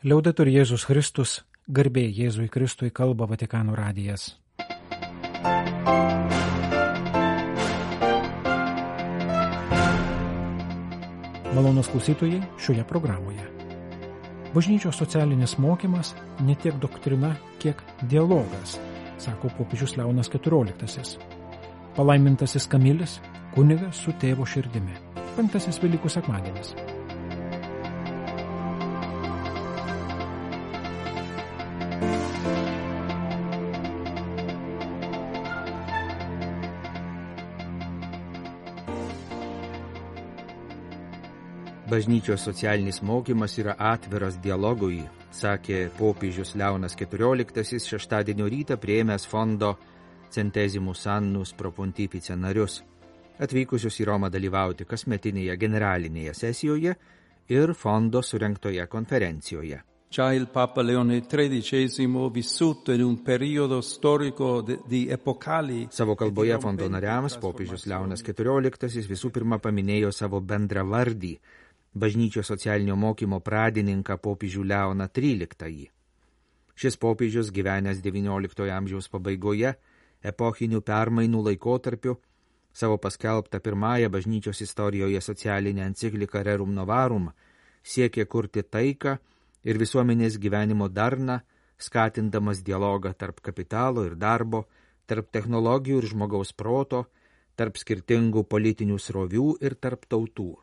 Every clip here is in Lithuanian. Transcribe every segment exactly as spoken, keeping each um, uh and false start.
Liaudetur Jėzus Kristus, garbė Jėzui Kristui, kalba Vatikano radijas. Malonūs klausytojai šioje programoje. Bažnyčios socialinis mokymas ne tiek doktrina, kiek dialogas, sako popiežius Leonas keturioliktasis. Palaimintasis Kamilis, kunigas su tėvo širdimi. Penktasis Velykų sekmadienis. Bažnyčios socialinis mokymas yra atviras dialogui, sakė popiežius Leonas keturioliktasis šeštadienio rytą priėmęs fondo Centesimus Annus Pro Pontifice narius, atvykusius į Romą dalyvauti kasmetinėje generalinėje sesijoje ir fondo surengtoje konferencijoje. Già il Papa Leone tredicesimo, vissuto in un periodo storico di epocali. Savo kalboje fondo nariams popiežius Leonas keturioliktasis visų pirma paminėjo savo bendravardį, bažnyčios socialinio mokymo pradininką popiežių Leoną tryliktąjį. Šis popiežius gyvenęs devynioliktojo amžiaus pabaigoje, epochinių permainų laikotarpiu, savo paskelbtą pirmąją bažnyčios istorijoje socialinę encikliką Rerum Novarum siekė kurti taiką ir visuomenės gyvenimo darną, skatindamas dialogą tarp kapitalo ir darbo, tarp technologijų ir žmogaus proto, tarp skirtingų politinių srovių ir tarp tautų.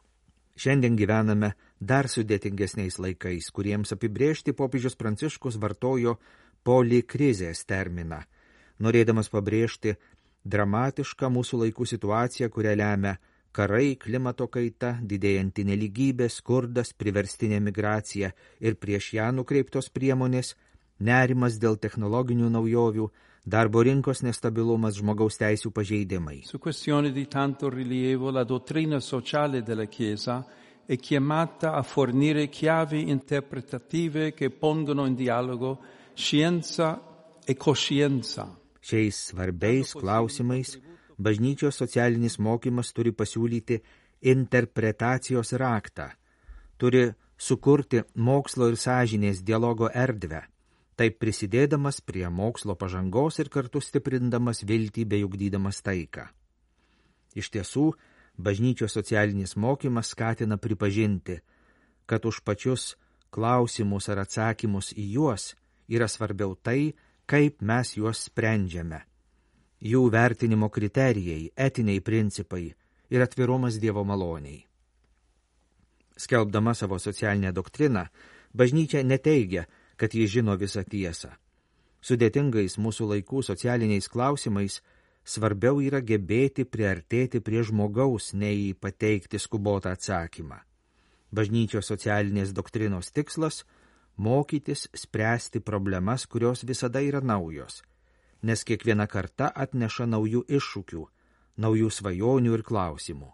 Šiandien gyvename dar sudėtingesniais laikais, kuriems apibrėžti popiežius Pranciškus vartojo polikrizės terminą, norėdamas pabrėžti dramatišką mūsų laikų situaciją, kurią lemia karai, klimato kaita, didėjanti nelygybė, skurdas, priverstinė migracija ir prieš ją nukreiptos priemonės, nerimas dėl technologinių naujovių, darbo rinkos nestabilumas, žmogaus teisių pažeidimai. Su questioni di tanto rilievo, la dottrina sociale della Chiesa è chiamata a fornire chiavi interpretative che pongono in dialogo scienza e coscienza. Šiais svarbiais klausimais bažnyčios socialinis mokymas turi pasiūlyti interpretacijos raktą, turi sukurti mokslo ir sąžinės dialogo erdvę, taip prisidėdamas prie mokslo pažangos ir kartu stiprindamas viltį bei ugdydamas taiką. Iš tiesų, bažnyčios socialinis mokymas skatina pripažinti, kad už pačius klausimus ar atsakymus į juos yra svarbiau tai, kaip mes juos sprendžiame. Jų vertinimo kriterijai, etiniai principai ir atvirumas Dievo maloniai. Skelbdama savo socialinę doktriną, bažnyčia neteigia, kad jis žino visą tiesą. Sudėtingais mūsų laikų socialiniais klausimais svarbiau yra gebėti priartėti prie žmogaus, nei pateikti skubotą atsakymą. Bažnyčios socialinės doktrinos tikslas – mokytis spręsti problemas, kurios visada yra naujos, nes kiekviena karta atneša naujų iššūkių, naujų svajonių ir klausimų.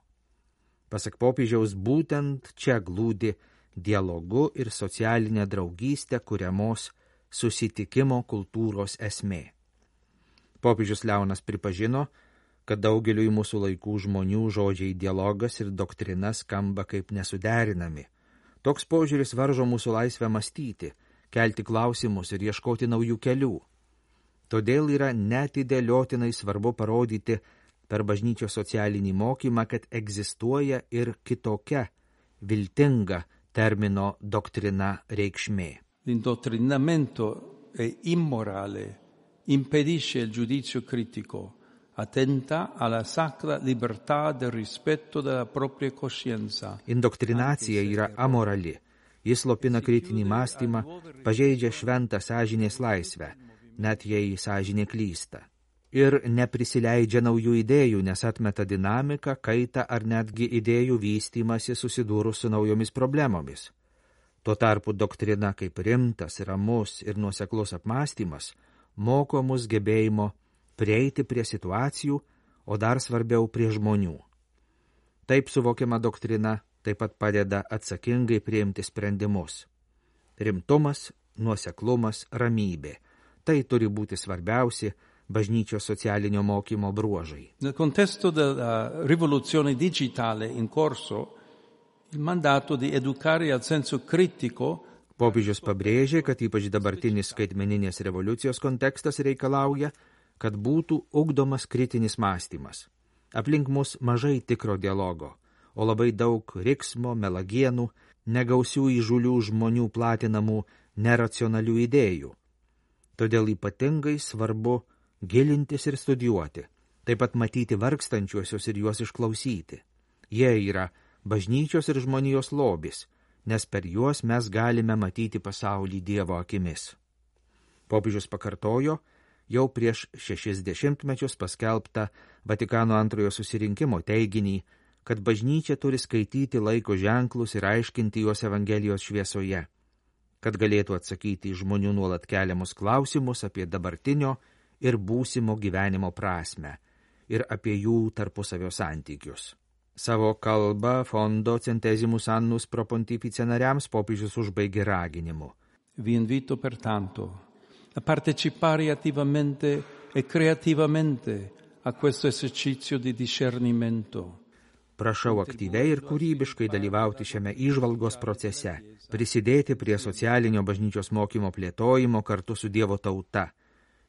Pasak popiežiaus, būtent čia glūdi dialogu ir socialinė draugystė kuriamos susitikimo kultūros esmė. Popiežius Leonas pripažino, kad daugeliui mūsų laikų žmonių žodžiai dialogas ir doktrina skamba kaip nesuderinami. Toks požiūris varžo mūsų laisvę mąstyti, kelti klausimus ir ieškoti naujų kelių. Todėl yra neatidėliotinai svarbu parodyti per bažnyčios socialinį mokymą, kad egzistuoja ir kitokia, viltinga termino doktrina reikšmė. L'indottrinamento è immorale, impedisce il giudizio critico, attenta alla sacra libertà del rispetto della propria coscienza. Indoktrinacija yra amorali, jis slopina kritinį mąstymą, pažeidžia šventą sąžinės laisvę, net jei sąžinė klysta. Ir neprisileidžia naujų idėjų, nes atmeta dinamiką, kaitą ar netgi idėjų vystymasi susidūrus su naujomis problemomis. Tuo tarpu doktrina kaip rimtas, ramus ir nuoseklus apmąstymas moko mus gebėjimo prieiti prie situacijų, o dar svarbiau prie žmonių. Taip suvokiama doktrina taip pat padeda atsakingai priimti sprendimus. Rimtumas, nuoseklumas, ramybė – tai turi būti svarbiausi bažnyčios socialinio mokymo bruožai. Nel contesto della rivoluzione digitale in corso, il mandato di educare al senso critico Popiežius pabrėžė, kad ypač dabartinis skaitmeninės revoliucijos kontekstas reikalauja, kad būtų ugdomas kritinis mąstymas. Aplink mus mažai tikro dialogo, o labai daug riksmo, melagienų, negausių įžūlių žmonių platinamų neracionalių idėjų. Todėl ypatingai svarbu gilintis ir studijuoti, taip pat matyti vargstančiuosius ir juos išklausyti. Jie yra bažnyčios ir žmonijos lobis, nes per juos mes galime matyti pasaulį Dievo akimis. Popiežius pakartojo jau prieš šešis dešimtmečius paskelbtą Vatikano antrojo susirinkimo teiginį, kad bažnyčia turi skaityti laiko ženklus ir aiškinti juos Evangelijos šviesoje, kad galėtų atsakyti į žmonių nuolat keliamus klausimus apie dabartinio ir būsimo gyvenimo prasmę ir apie jų tarpusavio santykius. Savo kalbą Fondo Centesimus Annus Pro Pontifice nariams popiežius užbaigė raginimu. Vi invito pertanto a partecipare attivamente e creativamente a questo esercizio di discernimento. Prašau aktyviai ir kūrybiškai dalyvauti šiame įžvalgos procese, prisidėti prie socialinio bažnyčios mokymo plėtojimo kartu su Dievo tauta,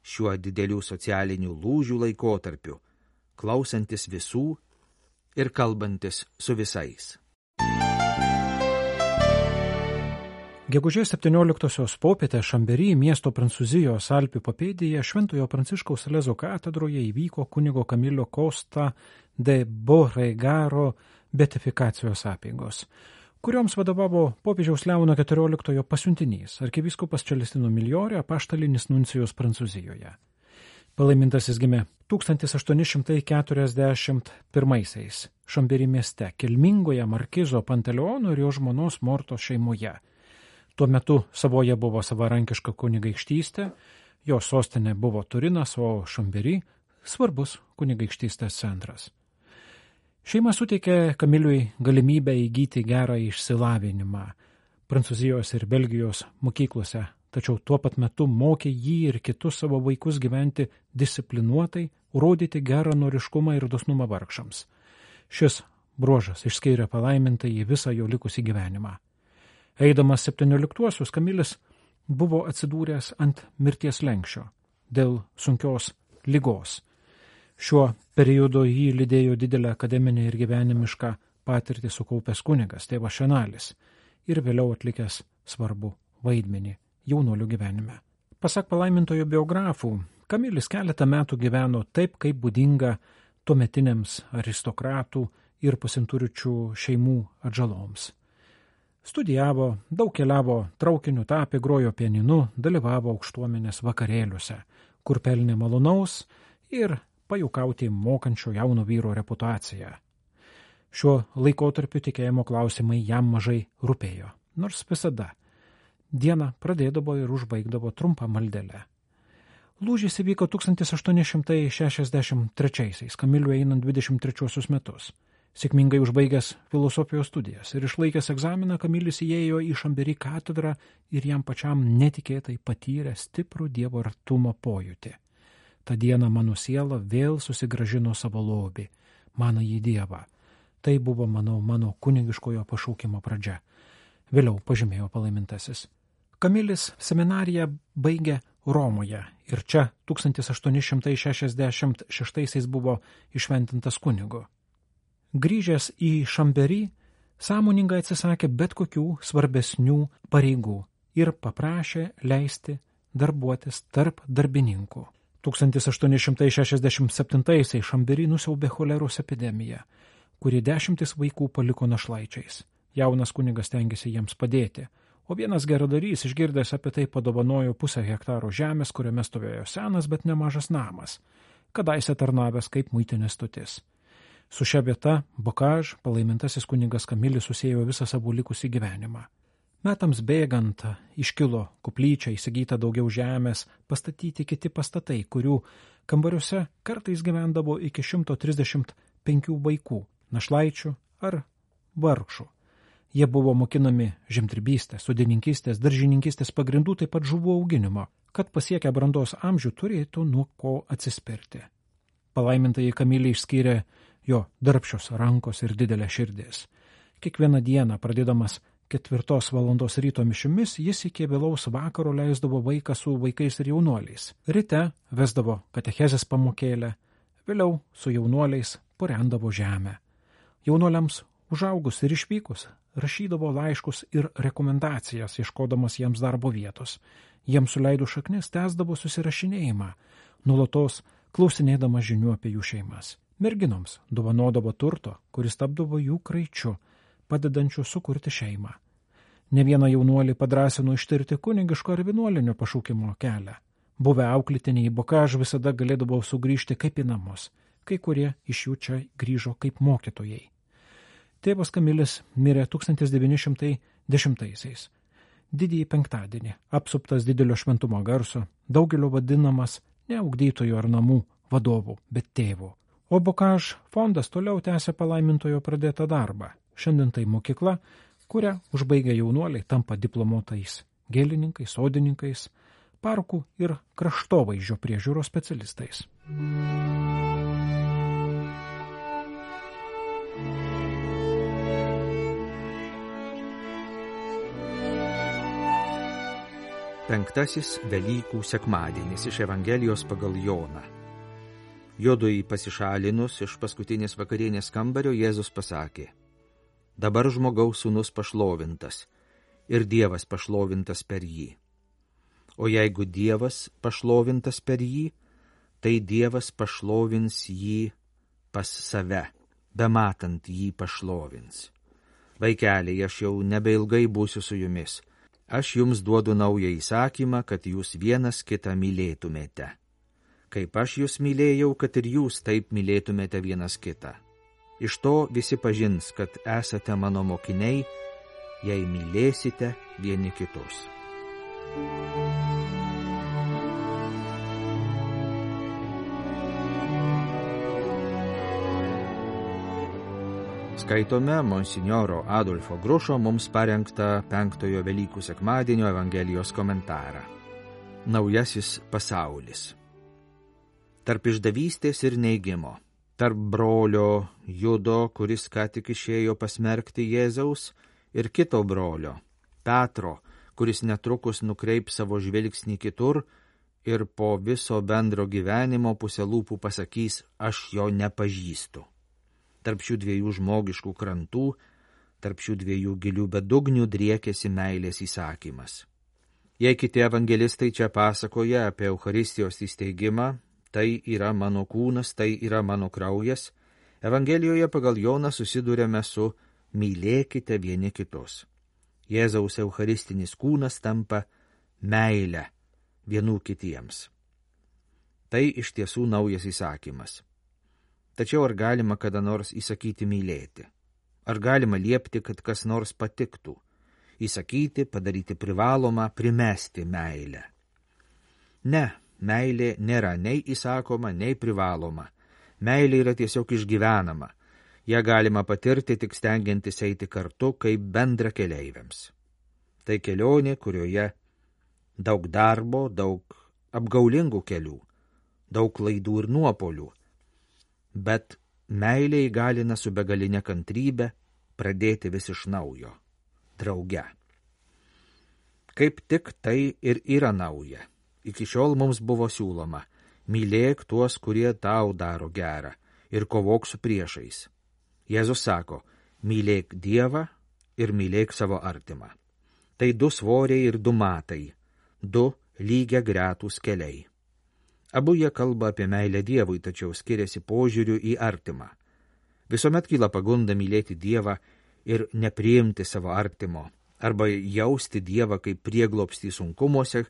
šiuo didelių socialinių lūžių laikotarpiu, klausantis visų ir kalbantis su visais. Gegužės septynioliktosios popietę Šambery miesto Prancūzijos Alpių papėdėje Šventojo Pranciškaus Salezo katedroje įvyko kunigo Kamilio Costa de Beauregaro beatifikacijos apeigos, kurioms vadovavo popiežiaus Leono keturioliktojo pasiuntinys, arkivyskupas Celestino Migliore, apaštalinis nuncijus Prancūzijoje. Palaimintasis gimė tūkstantis aštuoni šimtai keturiasdešimt pirmaisiais Šambery mieste, kilmingoje markizo Panteleono ir jo žmonos Mortos šeimoje. Tuo metu Savoje buvo savarankiška kunigaikštystė, jo sostinė buvo Turinas, o Šambery svarbus kunigaikštystės centras. Šeima suteikė Kamiliui galimybę įgyti gerą išsilavinimą Prancūzijos ir Belgijos mokyklose, tačiau tuo pat metu mokė jį ir kitus savo vaikus gyventi disciplinuotai, rodyti geranoriškumą ir dosnumą vargšams. Šis bruožas išskyrė palaimintą į visą jo likusį gyvenimą. Eidamas septynioliktuosius, Kamilis buvo atsidūręs ant mirties slenksčio dėl sunkios ligos. Šiuo periodu jį lydėjo didelę akademinę ir gyvenimišką patirtį sukaupęs kunigas, tėvas Šenalis, ir vėliau atlikęs svarbų vaidmenį jaunuolių gyvenime. Pasak palaimintojo biografų, Kamilis keletą metų gyveno taip, kaip būdinga tuometiniams aristokratų ir pasinturičių šeimų atžaloms. Studijavo, daug keliavo traukiniu, tapė, grojo pianinu, dalyvavo aukštuomenės vakarėliuose, kur pelnė malonaus ir pajuokauti mokančio jauno vyro reputaciją. Šiuo laikotarpiu tikėjimo klausimai jam mažai rūpėjo, nors visada dieną pradėdavo ir užbaigdavo trumpą maldelę. Lūžis įvyko tūkstantis aštuoni šimtai šešiasdešimt trečiaisiais, Kamiliui einant dvidešimt trečiuosius metus. Sėkmingai užbaigęs filosofijos studijas ir išlaikęs egzaminą, Kamilis įėjo į Šambery katedrą ir jam pačiam netikėtai patyrė stiprų Dievo artumo pojūtį. Ta diena mano siela vėl susigrąžino savo lobį, manąjį Dievą. Tai buvo, manau, mano kunigiškojo pašaukimo pradžia. Vėliau pažymėjo palaimintasis. Kamilis seminariją baigė Romoje ir čia tūkstantis aštuoni šimtai šešiasdešimt šeštaisiais buvo išventintas kunigu. Grįžęs į Šambery, sąmoningai atsisakė bet kokių svarbesnių pareigų ir paprašė leisti darbuotis tarp darbininkų. tūkstantis aštuoni šimtai šešiasdešimt septintaisiais Šambery nusiaubė choleros epidemija, kuri dešimtis vaikų paliko našlaičiais. Jaunas kunigas stengėsi jiems padėti, o vienas geradarys, išgirdęs apie tai, padovanojo pusę hektaro žemės, kuriame stovėjo senas, bet nemažas namas, kadaise tarnavęs kaip muitinės stotis. Su šia vieta Bocage palaimintasis kunigas Kamilis susėjo visą savo likusį gyvenimą. Metams bėgant iškilo koplyčia, įsigyta daugiau žemės, pastatyti kiti pastatai, kurių kambariuose kartais gyvendavo iki šimto trisdešimt penkių vaikų, našlaičių ar vargšų. Jie buvo mokinami žemdirbystės, sodininkystės, daržininkystės pagrindų, taip pat žuvų auginimo, kad pasiekę brandos amžių turėtų nuo ko atsispirti. Palaimintąjį Kamilį išskyrė jo darbščios rankos ir didelė širdis. Kiekvieną dieną, pradėdamas ketvirtos valandos ryto mišimis jis iki vėlaus vakaro leisdavo vaiką su vaikais ir jaunuoliais. Ryte vesdavo katechezės pamokėlę, vėliau su jaunuoliais purendavo žemę. Jaunuoliams užaugus ir išvykus rašydavo laiškus ir rekomendacijas, ieškodamas jiems darbo vietos. Jiems suleido šaknis tęsdavo susirašinėjimą, nuolatos klausinėdama žinių apie jų šeimas. Merginoms dovanodavo turto, kuris tapdavo jų kraičiu, padedančiu sukurti šeimą. Ne vieną jaunuolį padrąsino ištirti kunigiško ar vienuolinio pašaukimo kelią. Buvę auklėtiniai Bokaž visada galėdavo sugrįžti kaip į namus, kai kurie iš jų čia grįžo kaip mokytojai. Tėvas Kamilis mirė tūkstantis devyni šimtai dešimtaisiais. Didįjį penktadienį, apsuptas didelio šventumo garso, daugelio vadinamas ne ugdytojų ar namų vadovų, bet tėvų. O Bokaž fondas toliau tęsia palaimintojo pradėtą darbą. Šiandien tai mokykla, kurią užbaigę jaunuoliai tampa diplomuotais gėlininkais, sodininkais, parkų ir kraštovaizdžio priežiūros specialistais. Penktasis Velykų sekmadienis iš Evangelijos pagal Joną. Jodui pasišalinus iš paskutinės vakarienės kambario Jėzus pasakė: dabar žmogaus sūnus pašlovintas ir Dievas pašlovintas per jį. O jeigu Dievas pašlovintas per jį, tai Dievas pašlovins jį pas save, bematant jį pašlovins. Vaikeliai, aš jau nebeilgai būsiu su jumis. Aš jums duodu naują įsakymą, kad jūs vienas kitą mylėtumėte. Kaip aš jūs mylėjau, kad ir jūs taip mylėtumėte vienas kitą. Iš to visi pažins, kad esate mano mokiniai, jei mylėsite vieni kitus. Skaitome monsinjoro Adolfo Grušo mums parengtą penktojo Velykų sekmadienio Evangelijos komentarą. Naujasis pasaulis. Tarp išdavystės ir neigimo, tarp brolio Judo, kuris ką tik išėjo pasmerkti Jėzaus, ir kito brolio, Petro, kuris netrukus nukreips savo žvilgsnį kitur ir po viso bendro gyvenimo pusę lūpų pasakys: aš jo nepažįstu. Tarp šių dviejų žmogiškų krantų, tarp šių dviejų gilių bedugnių driekėsi meilės įsakymas. Jei kiti evangelistai čia pasakoja apie Eucharistijos įsteigimą, tai yra mano kūnas, tai yra mano kraujas, Evangelijoje pagal Joną susidurėme su mylėkite vieni kitus. Jėzaus eucharistinis kūnas tampa meilę vienų kitiems. Tai iš tiesų naujas įsakymas. Tačiau ar galima kada nors įsakyti mylėti? Ar galima liepti, kad kas nors patiktų? Įsakyti, padaryti privalomą, primesti meilę. Ne, meilė nėra nei įsakoma, nei privaloma. Meilė yra tiesiog išgyvenama. Ja galima patirti tik stengiantis eiti kartu kaip bendra keleiviams. Tai kelionė, kurioje daug darbo, daug apgaulingų kelių, daug klaidų ir nuopolių. Bet meilė įgalina su begalinė kantrybė pradėti vis iš naujo, drauge. Kaip tik tai ir yra nauja. Iki šiol mums buvo siūloma: mylėk tuos, kurie tau daro gerą, ir kovok su priešais. Jėzus sako: mylėk Dievą ir mylėk savo artimą. Tai du svoriai ir du matai, du lygia gretūs keliai. Abu jie kalba apie meilę Dievui, tačiau skiriasi požiūriu į artimą. Visuomet kyla pagunda mylėti Dievą ir nepriimti savo artimo, arba jausti Dievą kaip prieglobstį sunkumuose,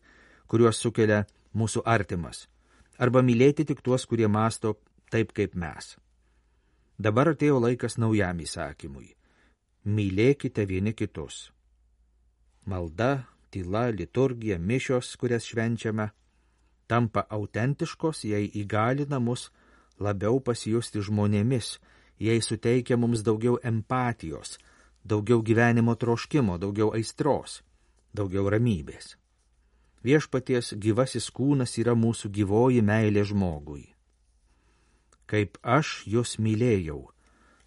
kuriuos sukelia mūsų artimas, arba mylėti tik tuos, kurie mąsto taip kaip mes. Dabar atėjo laikas naujam įsakymui. Mylėkite vieni kitus. Malda, tyla, liturgija, mišios, kurias švenčiame, tampa autentiškos, jei įgalina mus labiau pasijusti žmonėmis, jei suteikia mums daugiau empatijos, daugiau gyvenimo troškimo, daugiau aistros, daugiau ramybės. Viešpaties gyvasis kūnas yra mūsų gyvoji meilė žmogui. Kaip aš jūs mylėjau,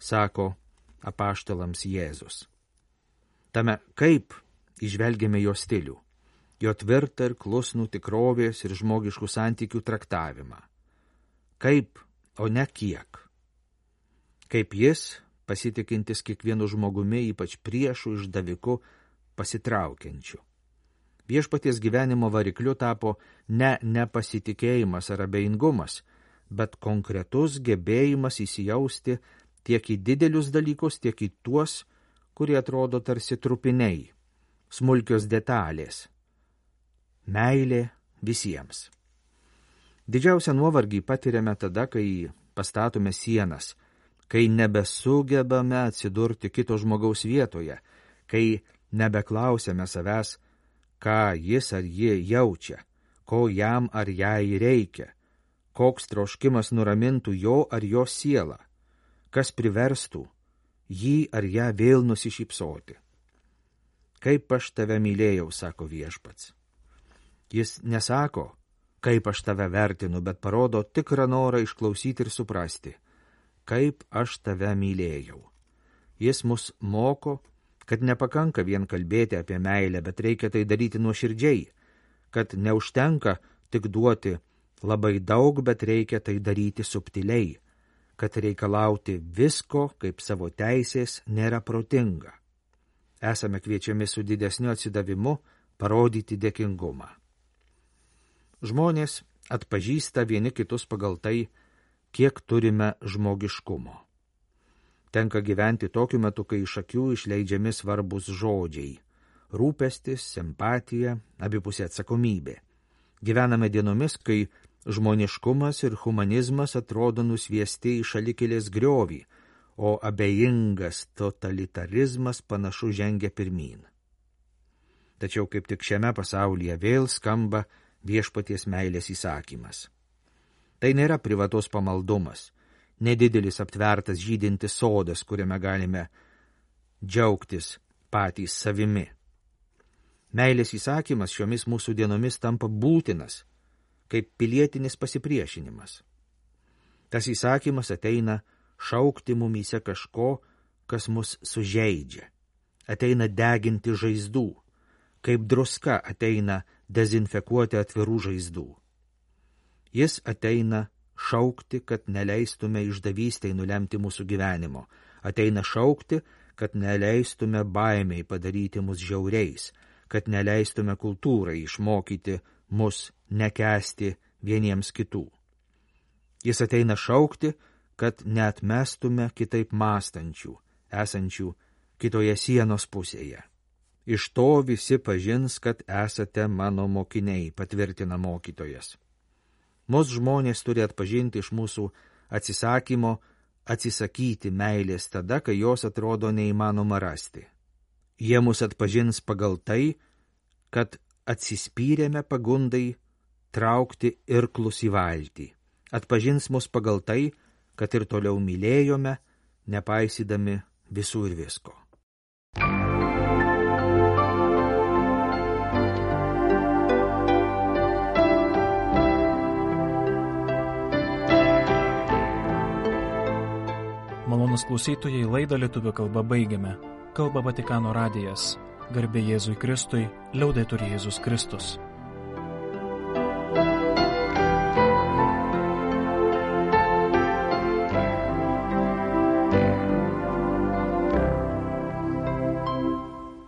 sako apaštalams Jėzus. Tame kaip įžvelgiame jo stilių, jo tvirtą ir klusnų tikrovės ir žmogiškų santykių traktavimą. Kaip, o ne kiek. Kaip jis, pasitikintis kiekvienu žmogumi, ypač priešų, išdaviku, pasitraukiančiu. Viešpaties gyvenimo varikliu tapo ne nepasitikėjimas ar abejingumas, bet konkretus gebėjimas įsijausti tiek į didelius dalykus, tiek į tuos, kurie atrodo tarsi trupiniai, smulkios detalės. Meilė visiems. Didžiausią nuovargį patiriame tada, kai pastatome sienas, kai nebesugebame atsidurti kito žmogaus vietoje, kai nebeklausėme savęs, ką jis ar ji jaučia, ko jam ar jai reikia, koks troškimas nuramintų jo ar jo sielą, kas priverstų jį ar ją vėl nusišypsoti. Kaip aš tave mylėjau, sako viešpats. Jis nesako, kaip aš tave vertinu, bet parodo tikrą norą išklausyti ir suprasti, kaip aš tave mylėjau. Jis mus moko, kad nepakanka vien kalbėti apie meilę, bet reikia tai daryti nuoširdžiai, kad neužtenka tik duoti labai daug, bet reikia tai daryti subtiliai, kad reikalauti visko kaip savo teisės nėra protinga. Esame kviečiami su didesniu atsidavimu parodyti dėkingumą. Žmonės atpažįsta vieni kitus pagal tai, kiek turime žmogiškumo. Tenka gyventi tokiu metu, kai iš akių išleidžiami svarbus žodžiai – rūpestis, simpatija, abipusė atsakomybė. Gyvename dienomis, kai žmoniškumas ir humanizmas atrodo nusviesti į šalikelės griovį, o abejingas totalitarizmas panašu žengia pirmyn. Tačiau kaip tik šiame pasaulyje vėl skamba viešpaties meilės įsakymas. Tai nėra privatus pamaldumas, nedidelis aptvertas žydintis sodas, kuriame galime džiaugtis patys savimi. Meilės įsakymas šiomis mūsų dienomis tampa būtinas, kaip pilietinis pasipriešinimas. Tas įsakymas ateina šaukti mumyse kažko, kas mus sužeidžia, ateina deginti žaizdų, kaip druska ateina dezinfekuoti atvirų žaizdų. Jis ateina šaukti, kad neleistume išdavystei nulemti mūsų gyvenimo, ateina šaukti, kad neleistume baimiai padaryti mus žiauriais, kad neleistume kultūrai išmokyti mus nekęsti vieniems kitų. Jis ateina šaukti, kad neatmestume kitaip mąstančių, esančių kitoje sienos pusėje. Iš to visi pažins, kad esate mano mokiniai, patvirtina mokytojas. Mūsų žmonės turi atpažinti iš mūsų atsisakymo atsisakyti meilės tada, kai jos atrodo neįmanoma rasti. Jie mus atpažins pagal tai, kad atsispyrėme pagundai traukti irklus į valtį. Atpažins mus pagal tai, kad ir toliau mylėjome, nepaisydami visų ir visko. Malonūs klausytojai, laidą lietuvių kalba baigiame. Kalba Vatikano radijas. Garbė Jėzui Kristui, liaudetur Jėzus Kristus.